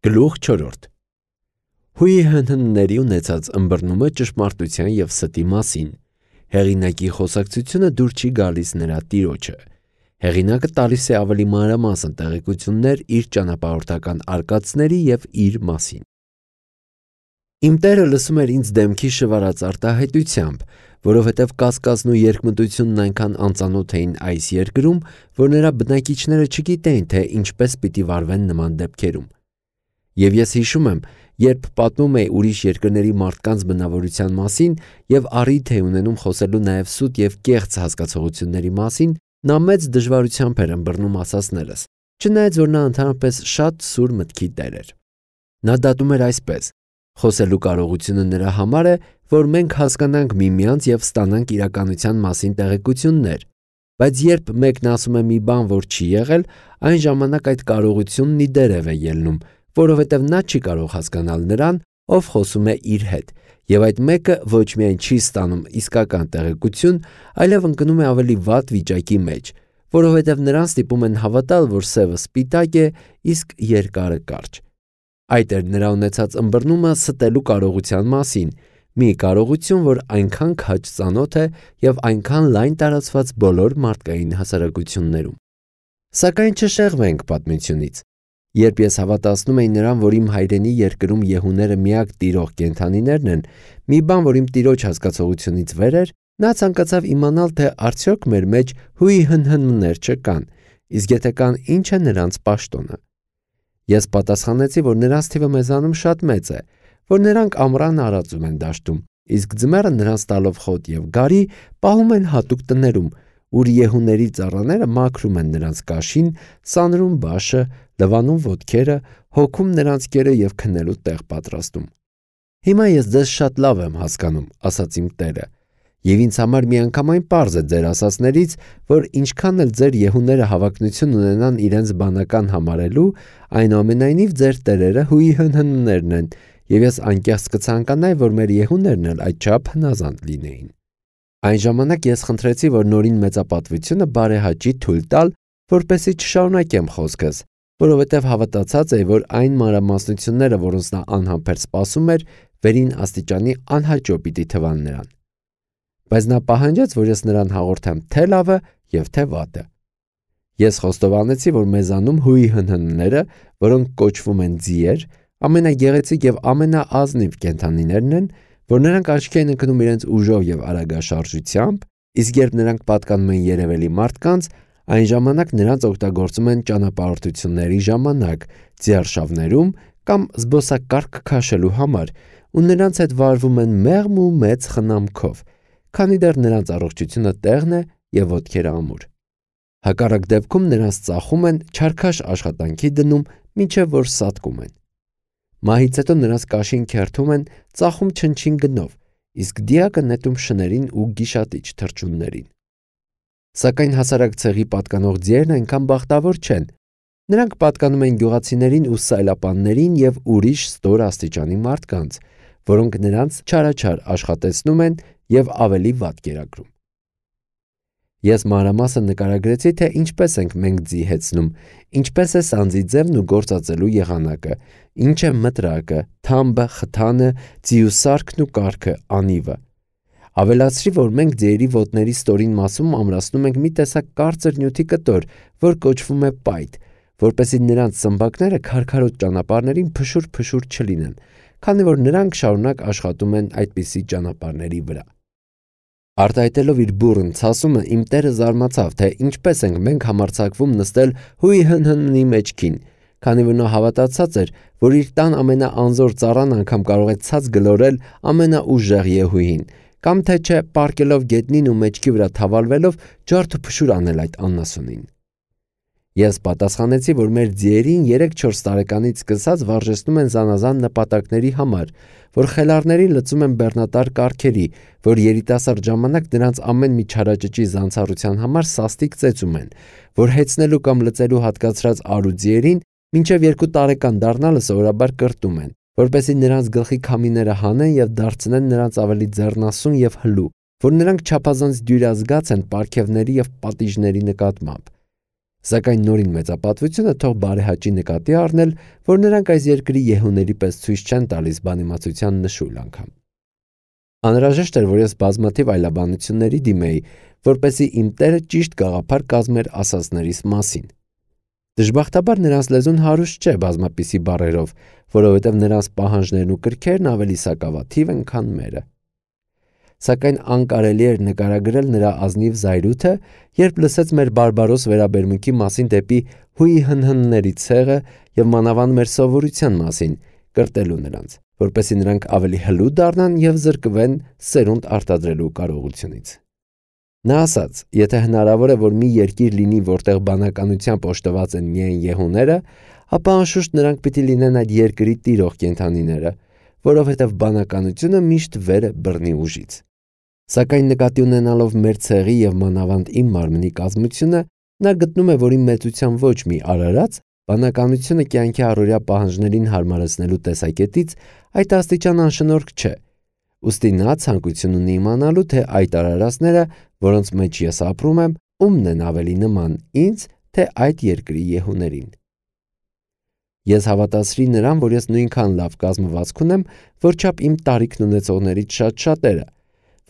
Գլուխ 4 Հույի հնհնների ունեցած ըմբռնումը ճշմարտության և ստի մասին։ Հեղինակի խոսակցությունը դուր չի գալիս նրա տիրոջը։ Հեղինակը տալիս է ավելի մանրամասն տեղեկություններ իր ճանապարհորդական արկածների և իր մասին։ Իմ տերը լսում էր ինձ դեմքի շվարած արտահայտությամբ, որովհետև կասկածն ու երկմտությունն այնքան անծանոթ էին այս երկրում, որ նրա բնակիչները չգիտեին, թե ինչպես պիտի վարվեն նման դեպքերում։ Եվ ես հիշում եմ, երբ պատմում էի ուրիշ երկրների մարդկանց բնավորության մասին և առիթ էի ունենում խոսելու նաև սուտ և կեղծ հասկացողությունների մասին, նա մեծ դժվարությամբ էր ըմբռնում ասածներս, չնայած որ նա ընդհանրապես շատ սուր մտքի տեր էր։ Նա դատում էր այսպես. խոսելու կարողությունը նրա համար է, որ մենք հասկանանք միմյանց և ստանանք իրականության մասին տեղեկություններ, բայց երբ մեկն ասում է մի բան, որ չի եղել, այն ժամանակ այդ կարողությունն ի դերև է ելնում, որովհետև նա չի կարող հասկանալ նրան, ով խոսում է իր հետ, և այդ մեկը ոչ միայն չի ստանում իսկական տեղեկություն, այլև ընկնում է ավելի վատ վիճակի մեջ, որովհետև նրան ստիպում են հավատալ, որ սևը սպիտակ է, իսկ երկարը կարճ։ Այդ էր նրա ունեցած ըմբռնումը ստելու կարողության մասին, մի կարողություն, որ այնքան քաջ ծանոթ է և այնքան լայն տարածված բոլոր մարդկային հասարակություններում։ Սակայն չշեղվենք պատմությունից։ Երբ ես հավատացնում էի նրան, որ իմ հայրենի երկրում եհուները միակ տիրող կենդանիներն են, մի բան, որ իմ տիրոջ հասկացողությունից վեր էր, նա ցանկացավ իմանալ, թե արդյոք մեր մեջ հույի հնհններ չկան, իսկ եթե կան, ինչ է նրանց պաշտոնը։ Ես պատասխանեցի, որ նրանց թիվը մեզանում շատ մեծ է, որ նրանք ամռան արածում են դաշտում, իսկ ձմեռը նրանց տալով խոտ և գարի պահում են հատուկ տներում, ուր եհուների ծառաները մաքրում են նրանց կաշին, սանրում բաշը, լվանում ոտքերը, հոգում նրանց կերը և քնելու տեղ պատրաստում։ Հիմա ես ձեզ շատ լավ եմ հասկանում, ասաց իմ տերը, և ինձ համար միանգամայն պարզ է ձեր ասածներից, որ ինչքան էլ ձեր եհուները հավակնություն ունենան իրենց բանական համարելու, այնուամենայնիվ ձեր տերերը հույի հնհններն են, և ես անկեղծ կցանկանայի, որ մեր եհուներն էլ այդչափ հնազանդ լինեին։ Այն ժամանակ ես խնդրեցի, որ նորին մեծապատվությունը բարեհաճի թույլ տալ, որպեսզի չշարունակեմ խոսքս, որովհետև հավատացած էի, որ այն մանրամասնությունները, որոնց նա անհամբեր սպասում էր, վերին աստիճանի անհաճո պիտի թվան նրան։ Բայց նա պահանջեց, որ ես նրան հաղորդեմ թե լավը և թե վատը։ Ես խոստովանեցի, որ մեզանում հույի հնհնները, որոնք կոչվում են ձիեր, ամենագեղեցիկ և ամենաազնիվ կենդանիներն են, որ նրանք աչքի են ընկնում իրենց ուժով և արագաշարժությամբ, իսկ երբ նրանք պատկանում են երևելի մարդկանց, այն ժամանակ նրանց օգտագործում են ճանապարհորդությունների ժամանակ, ձիարշավներում կամ զբոսակարգ քաշելու համար, ու նրանց հետ վարվում են մեղմ ու մեծ խնամքով, քանի դեռ նրանց առողջությունը տեղն է և ոտքերը ամուր։ Հակառակ դեպքում նրանց ծախում են, չարքաշ աշխատանքի դնում, մինչև որ սատկում են։ Մահից հետո նրանց կաշին քերթում են, ծախում չնչին գնով, իսկ դիակը նետում շներին ու գիշատիչ թռչուններին։ Սակայն հասարակ ցեղի պատկանող ձիերն այնքան բախտավոր չեն։ Նրանք պատկանում են գյուղացիներին ու սայլապաններին և ուրիշ ստոր աստիճանի մարդկանց, որոնք նրանց չարաչար աշխատեցնում են և ավելի վատ կերակրում։ Ես մանրամասն նկարագրեցի, թե ինչպես ենք մենք ձի հեծնում, ինչպես է սանձի ձևն ու գործածելու եղանակը, ինչ է մտրակը, թամբը, խթանը, ձիու սարքն ու կառքը, անիվը։ Ավելացրի, որ մենք ձիերի ոտների ստորին մասում ամրացնում ենք մի տեսակ կարծր նյութի կտոր, որ կոչվում է պայթ, որպեսզի նրանց սմբակները քարքարոտ ճանապարհներին փշուր-փշուր չլինեն, քանի որ նրանք շարունակ աշխատում են այդպիսի ճանապարհների վրա։ Արտահայտելով իր բուռն ցասումը, իմ տերը զարմացավ, թե ինչպես ենք մենք համարձակվում նստել հույի հնհնի մեջքին, քանի որ նա հավատացած էր, որ իր տան ամենաանզոր ծառան անգամ կարող է ցած գլորել ամենաուժեղ եհուին, կամ թե չէ պառկելով գետնին ու մեջքի վրա թավալվելով ջարդ ու փշուր անել այդ անասունին։ Ես պատասխանեցի, որ մեր ձիերին 3-4 տարեկանից սկսած վարժեցնում են զանազան նպատակների համար, որ խելառներին լծում են բեռնատար կառքերի, որ երիտասարդ ժամանակ նրանց ամեն մի չարաճճի զանցառության համար սաստիկ ծեծում են, որ հեծնելու կամ լծելու հատկացրած արու ձիերին մինչև 2 տարեկան դառնալը սովորաբար կրտում են, որպեսզի նրանց գլխի քամիները հանեն և դարձնեն նրանց ավելի ձեռնասուն և հլու, որ նրանք չափազանց դյուրազգաց են պարգևների և պատիժների նկատմամբ, Սակայն նորին մեծապատվությունը թող բարեհաճի նկատի առնել, որ նրանք այս երկրի եհուների պես ցույց չեն տալիս բանիմացության նշույլ անգամ։ Անհրաժեշտ էր, որ ես բազմաթիվ այլաբանությունների դիմեի, որպեսզի իմ Տերը ճիշտ գաղափար կազմեր ասածներիս մասին։ Դժբախտաբար նրանց լեզուն հարուստ չէ բազմապիսի բառերով, որովհետև նրանց պահանջներն ու կրքերն ավելի սակավաթիվ են, քան մերը։ Սակայն անկարելի էր նկարագրել նրա ազնիվ զայրույթը, երբ լսեց մեր բարբարոս վերաբերմունքի մասին դեպի հույի հնհնների ցեղը եւ մանավանդ մեր սովորության մասին, կրտելու նրանց, որպեսզի նրանք ավելի հլու դառնան եւ զրկվեն սերունդ արտադրելու կարողությունից։ Նա ասաց. եթե հնարավոր է, որ մի երկիր լինի, որտեղ բանականությամբ օժտված են միայն եհուները, ապա անշուշտ նրանք պիտի լինեն այդ երկրի տիրող կենդանիները, որովհետև բանականությունը միշտ վեր է բռնի ուժից։ Սակայն նկատի ունենալով մեր ցեղի եւ մանավանդ իմ մարմնի կազմությունը, նա գտնում է, որ իմ մեծության ոչ մի արարած բանականությունը կյանքի առօրյա պահանջներին հարմարեցնելու տեսակետից այդ աստիճան անշնորհք չէ։ Ուստի նա ցանկություն ունի իմանալու, թե այդ արարածները, որոնց մեջ ես ապրում եմ, ումն են ավելի նման ինձ, թե այդ երկրի եհուներին։ Ես հավատացրի նրան, որ ես նույնքան լավ կազմվածք ունեմ, որչափ իմ տարիքն ունեցողներից շատ շատերը,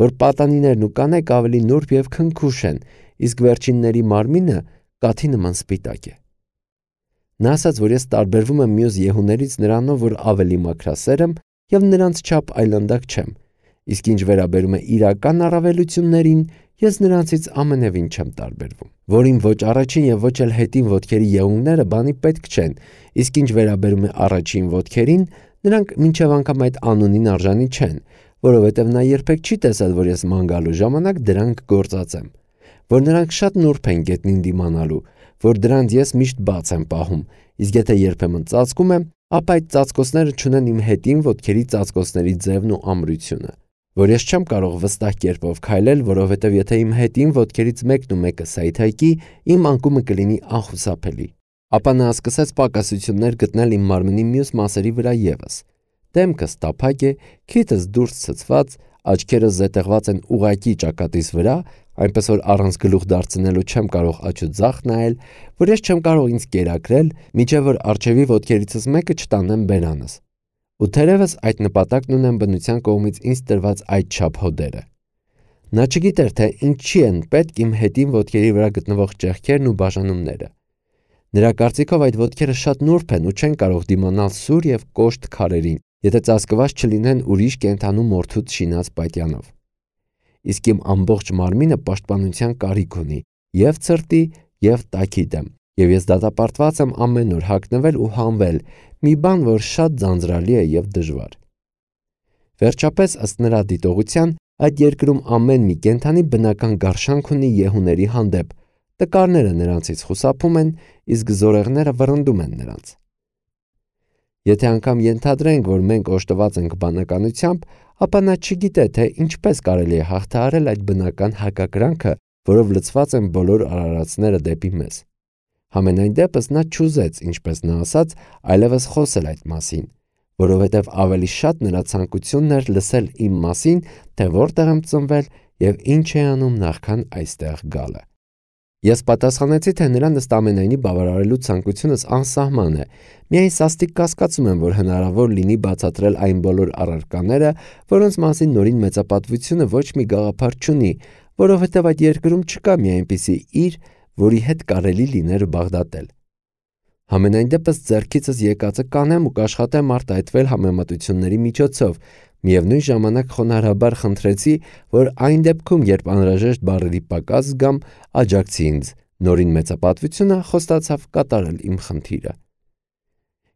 որ պատանիներն ու կանայք ավելի նուրբ եւ քնքուշ են, իսկ վերջինների մարմինը կաթի նման սպիտակ է։ Նա ասաց, որ ես տարբերվում եմ մյուս եհուներից նրանով, որ ավելի մաքրասեր եմ եւ նրանց չափ այլանդակ չեմ, իսկ ինչ վերաբերում է իրական առավելություններին, ես նրանցից ամենևին չեմ տարբերվում, որին ոչ առաջին եւ ոչ էլ հետին ոտքերի եղունգները բանի պետք չեն, իսկ ինչ վերաբերում է առաջին ոտքերին, նրանք մինչև անգամ այդ անունին արժանի չեն, որովհետև նա երբեք չի տեսել, որ ես ման գալու ժամանակ դրանք գործածեմ, որ նրանք շատ նուրբ են գետնին դիմանալու, որ դրանց ես միշտ բաց եմ պահում, իսկ եթե երբեմն ծածկում եմ, ապա այդ ծածկոցները չունեն իմ հետին ոտքերի ծածկոցների ձևն ու ամրությունը, որ ես չեմ կարող վստահ կերպով քայլել, որովհետև եթե իմ հետին ոտքերից մեկն ու մեկը սայթայքի, իմ անկումը կլինի անխուսափելի։ Ապա նա սկսեց պակասություններ գտնել իմ մարմնի մյուս մասերի վրա ևս։ Դեմքս տափակ է, քիթս դուրս ցցված, աչքերս զետեղված են ուղղակի ճակատիս վրա, այնպես որ առանց գլուխ դարձնելու չեմ կարող աչու ձախ նայել, որ ես չեմ կարող ինձ կերակրել, մինչև որ առջևի ոտքերիցս մեկը չտանեմ բերանս։ Ու թերևս այդ նպատակն ունեն բնության կողմից ինձ տրված այդ չափ հոդերը։ Նա չգիտեր, թե ինչի են պետք իմ հետին ոտքերի վրա գտնվող ճեղքերն ու բաժանումները։ Նրա կարծիքով այդ ոտքերը շատ նուրբ են ու չեն կարող դիմանալ սուր եւ կոշտ քարերին, եթե ծածկված չլինեն ուրիշ կենդանու մորթուց շինած պատյանով։ Իսկ իմ ամբողջ մարմինը պաշտպանության կարիք ունի եւ ցրտի եւ տաքի դեմ, եւ ես դատապարտված եմ ամեն օր հագնվել ու հանվել, մի բան, որ շատ ձանձրալի է եւ դժվար։ Վերջապես, ըստ նրա դիտողության, այդ երկրում ամեն մի կենդանի բնական գարշանք ունի եհուների հանդեպ, տկարները նրանցից խուսափում են, իսկ զորեղները վռնդում են նրանց։ Եթե անգամ ենթադրենք, որ մենք օժտված ենք բանականությամբ, ապա նա չգիտե, թե ինչպես կարելի է հաղթահարել այդ բնական հակակրանքը, որով լցված են բոլոր արարածները դեպի մեզ։ Համենայն դեպս նա չուզեց, ինչպես նա ասաց, այլևս խոսել այդ մասին, որովհետև ավելի շատ նրա ցանկությունն էր լսել իմ մասին, թե որտեղ եմ ծնվել եւ ինչ է անում նախքան այստեղ գալը։ Ես պատասխանեցի, թե նրան ըստ ամենայնի բավարարելու ցանկությունս անսահման է, միայն սաստիկ կասկածում եմ, որ հնարավոր լինի բացատրել այն բոլոր առարկաները, որոնց մասին նորին մեծապատվությունը ոչ մի գաղափար չունի, որովհետև այդ երկրում չկա մի այնպիսի իր, որի հետ կարելի լիներ բաղդատել։ Համենայն դեպս ձեռքիցս եկածը կանեմ ու կաշխատեմ արտահայտվել համեմատությունների միջոցով, միևնույն ժամանակ խոնարհաբար խնդրեցի, որ այն դեպքում, երբ անհրաժեշտ բառերի պակաս զգամ, աջակցի ինձ, նորին մեծապատվությունը խոստացավ կատարել իմ խնդիրը։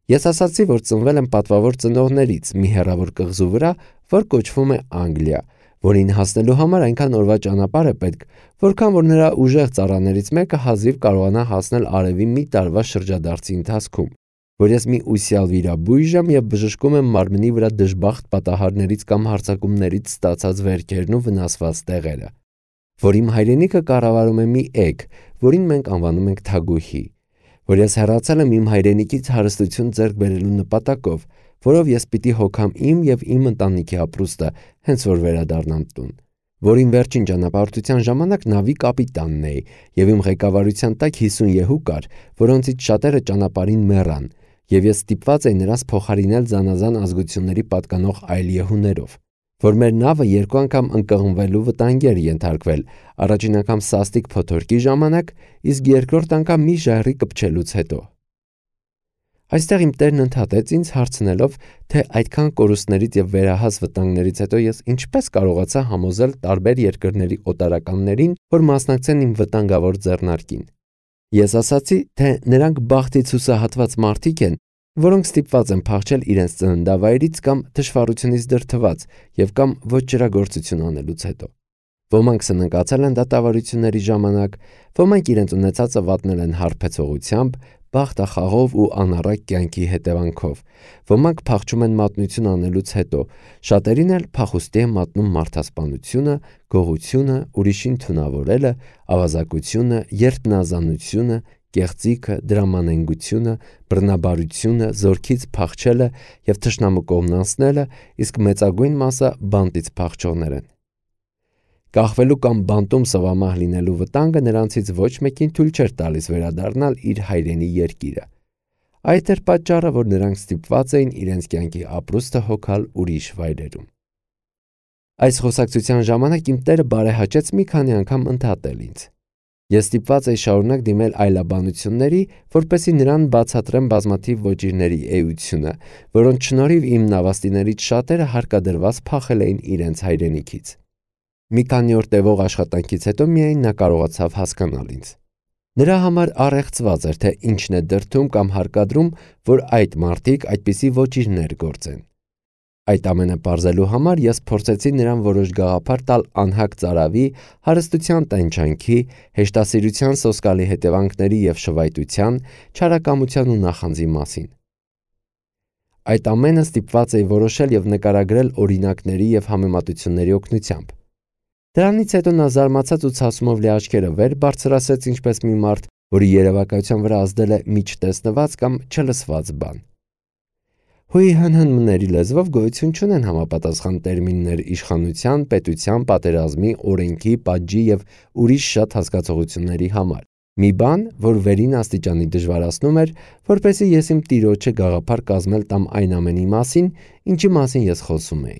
Ես ասացի, որ ծնվել եմ պատվավոր ծնողներից մի հեռավոր կղզու վրա, որ կոչվում է Անգլիա, որին հասնելու համար այնքան օրվա ճանապարհ է պետք, որքան որ նրա ուժեղ ծառաներից մեկը հազիվ կարողանա հասնել արևի մի տարվա շրջադարձի ընթացքում, որ ես մի ուսյալ վիրաբույժ եմ եւ բժշկում եմ մարմնի վրա դժբախտ պատահարներից կամ հարձակումներից ստացած վերքերն ու վնասված տեղերը, որ իմ հայրենիքը կառավարում է մի էգ, որին մենք անվանում ենք թագուհի, որ ես հեռացել եմ իմ հայրենիքից հարստություն ձեռք բերելու նպատակով, որով ես պիտի հոգամ իմ եւ իմ ընտանիքի ապրուստը, հենց որ վերադառնամ տուն, որին վերջին ճանապարհորդության ժամանակ նավի կապիտանն էի, եւ իմ ղեկավարության տակ 50 եհու կար, որոնցից շատերը ճանապարհին մեռան, եւ ես ստիպված էի նրանց փոխարինել զանազան ազգությունների պատկանող այլ եհուներով, որ մեր նավը 2 անգամ ընկղմվելու վտանգի էր ենթարկվել, առաջին անգամ սաստիկ փոթորկի ժամանակ, իսկ երկրորդ անգամ մի ժայռի կպչելուց հետո։ Այստեղ իմ տերն ընդհատեց ինձ հարցնելով, թե այդքան կորուստներից եւ վերահաս վտանգներից հետո ես ինչպես կարողացա համոզել տարբեր երկրների օտարականներին, որ մասնակցեն իմ վտանգավոր ձեռնարկին։ Ես ասացի, թե նրանք բախտից հուսահատված մարդիկ են, որոնք ստիպված են փախչել իրենց ծննդավայրից կամ թշվառությունից դրդված եւ կամ ոչռագործություն անելուց հետո։ Ոմանք սննկացել են դատավարությունների ժամանակ, ոմանք իրենց ունեցածը վատնել են հարբեցողությամբ, բախտախաղով ու անառակ կյանքի հետևանքով, ոմանք փախչում են մատնություն անելուց հետո, շատերին էլ փախուստի է մատնում մարդասպանությունը, գողությունը, ուրիշին թունավորելը, ավազակությունը, երդմնազանությունը, կեղծիքը, դրամանենգությունը, բռնաբարությունը, զորքից փախչելը եւ թշնամու կողմնանցնելը, իսկ մեծագույն մասը բանտից փախչողներ են։ Կախվելու կամ բանտում սվամահ լինելու վտանգը նրանցից ոչ մեկին թույլ չէր տալիս վերադառնալ իր հայրենի երկիրը։ Այդ էր պատճառը, որ նրանք ստիպված էին իրենց կյանքի ապրուստը հոգալ ուրիշ վայրերում։ Այս խոսակցության ժամանակ իմ տերը բարեհաճեց մի քանի անգամ ընդհատել ինձ։ Ես ստիպված էի շարունակ դիմել այլաբանությունների, որպեսզի նրան բացատրեմ բազմաթիվ ոճիրների էությունը, որոնց շնորհիվ իմ նավաստիներից շատերը հարկադրված փախել էին իրենց հայրենիքից։ Մի քանի օր տևող աշխատանքից հետո միայն նա կարողացավ հասկանալ ինձ։ Նրա համար առեղծված էր, թե ինչն է դրդում կամ հարկադրում, որ այդ մարդիկ այդպիսի ոճիրներ գործեն։ Այդ ամենը պարզելու համար ես փորձեցի նրան որոշ գաղափար տալ անհակ ծարավի, հարստության տենչանքի, հեշտասիրության սոսկալի հետևանքների եւ շվայտության, չարակամության ու նախանձի մասին։ Այդ ամենը ստիպված էի որոշել եւ նկարագրել օրինակների եւ համեմատությունների օգնությամբ։ Դրանից հետո նա զարմացած ու ցասումով լի աչքերը վեր բարձրացրեց ինչպես մի մարդ, որի երևակայության վրա ազդել է միջտեսնված կամ չլսված բան։ Հույի հնհնմների լեզվով գոյություն չունեն համապատասխան տերմիններ իշխանության, պետության, պատերազմի, օրենքի, պատժի եւ ուրիշ շատ հասկացողությունների համար։ Մի բան, որ վերին աստիճանի դժվարացնում էր, որպեսզի ես իմ տիրոջը գաղափար կազմել տամ այն ամենի մասին, ինչի մասին ես խոսում էի։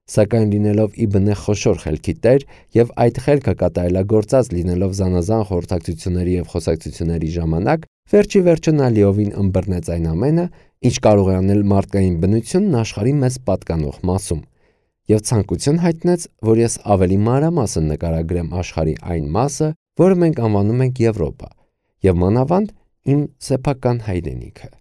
Սակայն լինելով Իբնե խոշոր խելքի տեր եւ այդ խելքը կատարելագործած լինելով զանազան խորհրդակցությունների եւ խոսակցությունների ժամանակ, վերջի վերջը նա լիովին ըմբռնեց այն ամենը, ինչ կարող է անել մարդկային բնությունն աշխարհի մեզ պատկանող մասում, եւ ցանկություն հայտնեց, որ ես ավելի մանրամասն նկարագրեմ աշխարհի այն մասը, որը մենք անվանում ենք Եվրոպա, եւ մանավանդ իմ սեփական հայրենիքը։